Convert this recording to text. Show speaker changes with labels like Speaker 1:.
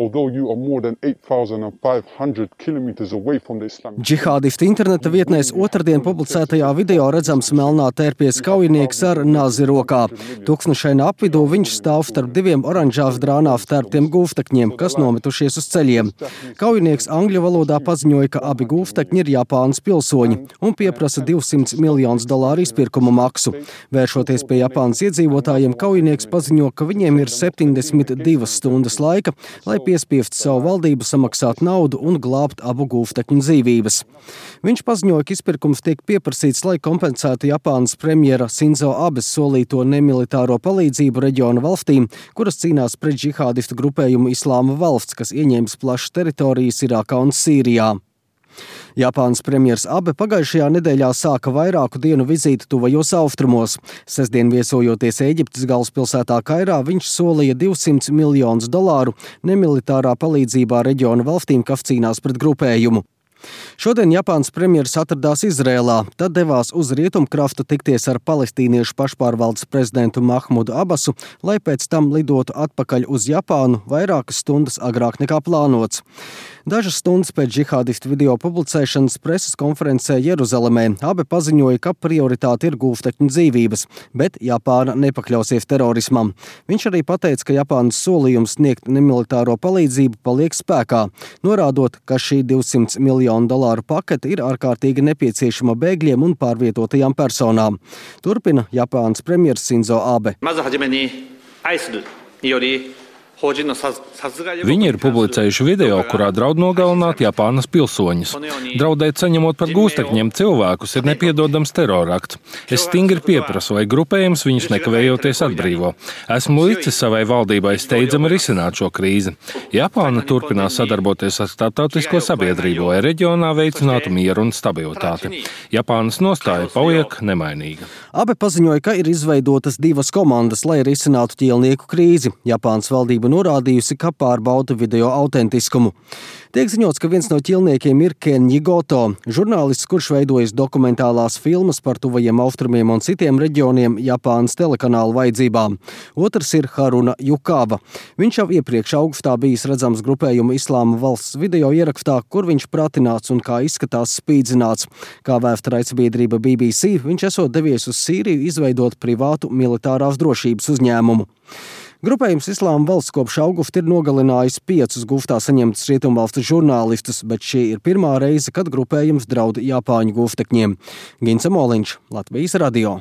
Speaker 1: although you are more than 8,500 kilometers away from the Islamic
Speaker 2: Džihādistu interneta vietnēs otrdien publicētajā video redzams melnā tērpies kaujinieks ar nāzi rokā. Tūkstnešaina apvidū viņš stāv starp diviem oranžās drānā vtērptiem gūvtekņiem, kas nometušies uz ceļiem. Kaujinieks angļu valodā paziņoja, ka abi gūvtekņi ir Japānas pilsoņi un pieprasa $200 miljonus izpirkuma maksu. Vēršoties pie Japānas iedzīvotājiem, kaujinieks paziņo, ka viņiem ir 72 stundas laika, lai piespiestu savu valdību samaksāt naudu un glābt abu gūvtekņu dzīvības. Viņš paziņoja, ka izpirkums tiek pieprasīts, lai kompensētu Japānas premjera Sinzo Abes solīto nemilitāro palīdzību reģiona valstīm, kuras cīnās pret džihādistu grupējumu Islāma valsts, kas ieņēmis plašas teritorijas Irākā un Sīrijā. Japānas premjers Abe pagājušajā nedēļā sāka vairāku dienu vizīti tuvajos austrumos. Sestdien viesojoties Ēģiptes galvaspilsētā Kairā, viņš solīja $200 miljonus nemilitārā palīdzībā reģiona valstīm, kas cīnās pret grupējumu. Šodien Japānas premjeras atradās Izrēlā, tad devās uz rietumkraftu tikties ar palestīniešu pašpārvaldes prezidentu Mahmudu Abasu, lai pēc tam lidotu atpakaļ uz Japānu vairākas stundas agrāk nekā plānots. Dažas stundas pēc džihādistu video publicēšanas preses konferencē Jeruzalemē Abe paziņoja, ka prioritāte ir gūvtekņu dzīvības, bet Japāna nepakļausies terorismam. Viņš arī pateica, ka Japānas solījums sniegt nemilitāro palīdzību paliek spēkā, norādot, ka šī $200 miljonu pakete ir ārkārtīgi nepieciešama bēgļiem un pārvietotajām personām. Turpina Japānas premjers Sinzo Abe.
Speaker 3: Viņi ir publicējuši video, kurā draud nogalināt Japānas pilsoņus. Draudēt saņemot par gūstekņiem cilvēkus ir nepiedodams terorakts. Es stingri pieprasu, lai grupējums viņus nekavējoties atbrīvo. Esmu licis savai valdībai steidzami risināt šo krīzi. Japāna turpinās sadarboties ar starptautisko sabiedrību, lai reģionā veicinātu mieru un stabilitāti. Japānas nostāja paliek nemainīga.
Speaker 2: Abe paziņoja, ka ir izveidotas divas komandas, lai risinātu ķīlnieku krīzi. Japānas valdība norādījusi, ka pārbauda video autentiskumu. Tiek ziņots, ka viens no ķīlniekiem ir Kenji Goto, žurnālists, kurš veidojas dokumentālās filmas par tuvajiem austrumiem un citiem reģioniem Japānas telekanāla vajadzībām. Otrs ir Haruna Jukava. Viņš jau iepriekš augustā bijis redzams grupējuma Islāma valsts video ierakstā, kur viņš pratināts un kā izskatās spīdzināts. Kā vēsta raidsabiedrība BBC, viņš esot devies uz Sīriju izveidot privātu militārās drošības uzņēmumu. Grupējums Islāma valsts kopš augusta ir nogalinājis 5 guftā saņemtus rietumvalstu žurnālistus, bet šī ir pirmā reize, kad grupējums draud Japāņu guftekņiem. Gince Moliņš, Latvijas radio.